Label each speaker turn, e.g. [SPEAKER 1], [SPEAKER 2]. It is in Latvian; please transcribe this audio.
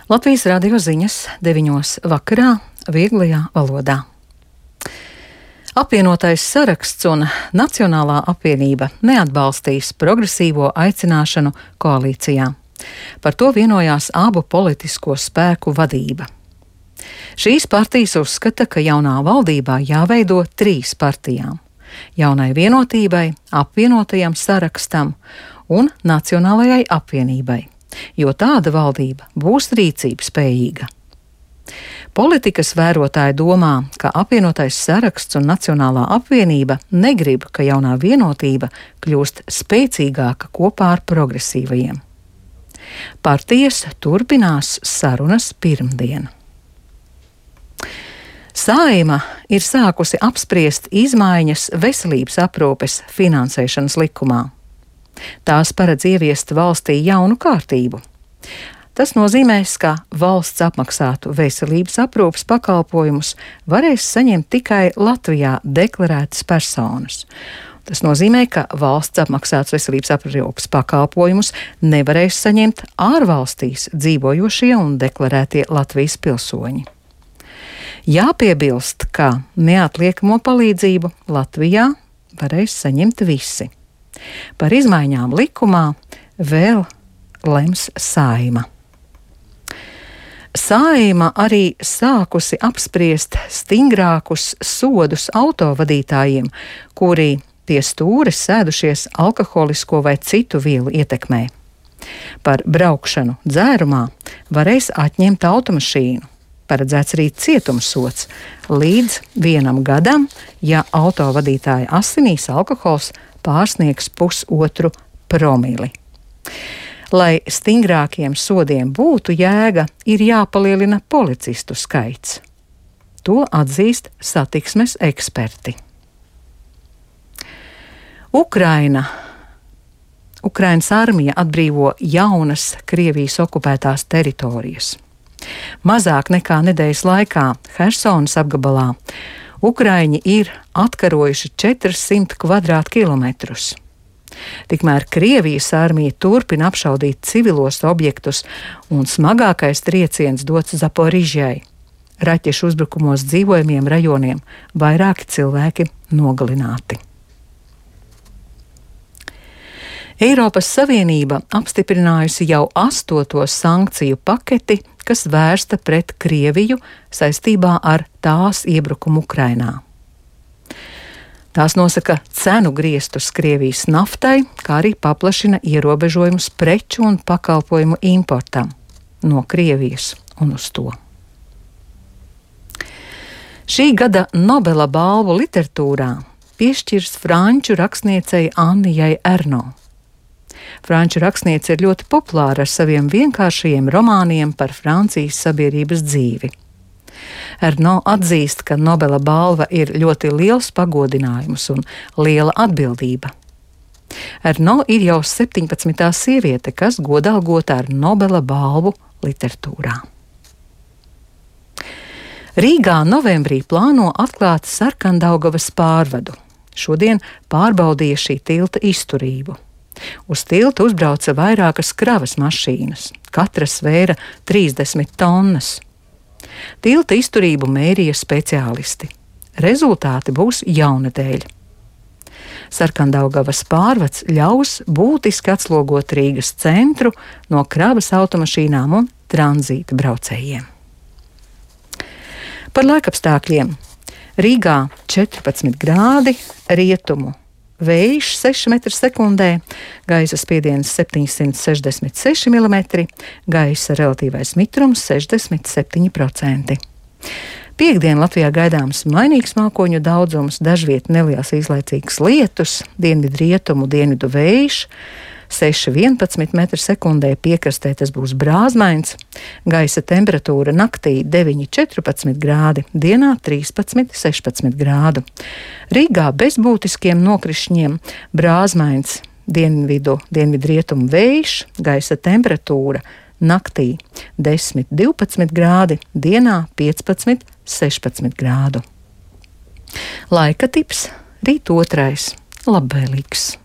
[SPEAKER 1] Latvijas radio ziņas 9:00 vakarā vieglajā valodā. Apvienotais saraksts un Nacionālā apvienība neatbalstīs progresīvo aicināšanu koalīcijā. Par to vienojās abu politisko spēku vadība. Šīs partijas uzskata, ka jaunā valdībā jāveido 3 partijām - Jaunai vienotībai, Apvienotajam sarakstam un Nacionālajai apvienībai, jo tāda valdība būs rīcības spējīga. Politikas vērotāji domā, ka Apvienotais saraksts un Nacionālā apvienība negrib, ka Jaunā vienotība kļūst spēcīgāka kopā ar progresīvajiem. Partijas turpinās sarunas pirmdien. Saeima ir sākusi apspriest izmaiņas veselības aprūpes finansēšanas likumā. Tās paredz ieviest valstī jaunu kārtību. Tas nozīmēs, ka valsts apmaksātu veselības aprūpes pakalpojumus varēs saņemt tikai Latvijā deklarētas personas. Tas nozīmē, ka valsts apmaksāts veselības aprūpes pakalpojumus nevarēs saņemt ārvalstīs dzīvojošie un deklarētie Latvijas pilsoņi. Jāpiebilst, ka neatliekamo palīdzību Latvijā varēs saņemt visi. Par izmaiņām likumā vēl lems Saeima. Saeima arī sākusi apspriest stingrākus sodus autovadītājiem, kuri pie stūres sēdušies alkoholisko vai citu vielu ietekmē. Par braukšanu dzērumā varēs atņemt automašīnu. Paredzēts arī cietumsods līdz 1 gadam, ja autovadītāja asinīs alkohols pārsniegs 0,5 promili. Lai stingrākiem sodiem būtu jēga, ir jāpalielina policistu skaits. To atzīst satiksmes eksperti. Ukrainas armija atbrīvo jaunas Krievijas okupētās teritorijas. Mazāk nekā nedēļas laikā Hersonas apgabalā Ukraiņi ir atkarojuši 400 kvadrātkilometrus. Tikmēr Krievijas armija turpina apšaudīt civilos objektus un smagākais trieciens dots Zaporižjai. Raķešu uzbrukumos dzīvojamiem rajoniem vairāki cilvēki nogalināti. Eiropas Savienība apstiprinājusi jau 8. sankciju paketi, kas vērsta pret Krieviju saistībā ar tās iebrukumu Ukrainā. Tās nosaka cenu griestus Krievijas naftai, kā arī paplašina ierobežojumus preču un pakalpojumu importam no Krievijas un uz to. Šī gada Nobela balvu literatūrā piešķirs franču rakstniecei Annijai Ernaux. Franču rakstniece ir ļoti populāra ar saviem vienkāršajiem romāniem par Francijas sabiedrības dzīvi. Ernaux atzīst, ka Nobela balva ir ļoti liels pagodinājums un liela atbildība. Ernaux ir jau 17. sieviete, kas godalgota ar Nobela balvu literatūrā. Rīgā novembrī plāno atklāt Sarkandaugavas pārvadu. Šodien pārbaudīja šī tilta izturību. Uz tiltu uzbrauca vairākas kravas mašīnas, katra svēra 30 tonnas. Tilta izturību mērīja speciālisti. Rezultāti būs jaunadēļ. Sarkandaugavas pārvads ļaus būtiski atslogot Rīgas centru no kravas automašīnām un tranzīta braucējiem. Par laikapstākļiem. Rīgā 14 grādi, rietumu vējš 6 m/sekundē, gaisa spiediens 766 mm, gaisa relatīvais mitrums 67%. Piektdien Latvijā gaidāms mainīgs mākoņu daudzums, dažviet neliels īslaicīgs lietus, dienvidrietumu dienvidu vējš 6,11 m/sekundē, piekrastē tas būs brāzmains, gaisa temperatūra naktī 9,14 grādi, dienā 13,16 grādu. Rīgā bez būtiskiem nokrišņiem brāzmains, dienvidrietumu vējš, gaisa temperatūra naktī 10,12 grādi, dienā 15,16 grādu. Laika tips rīt 2. labvēlīgs.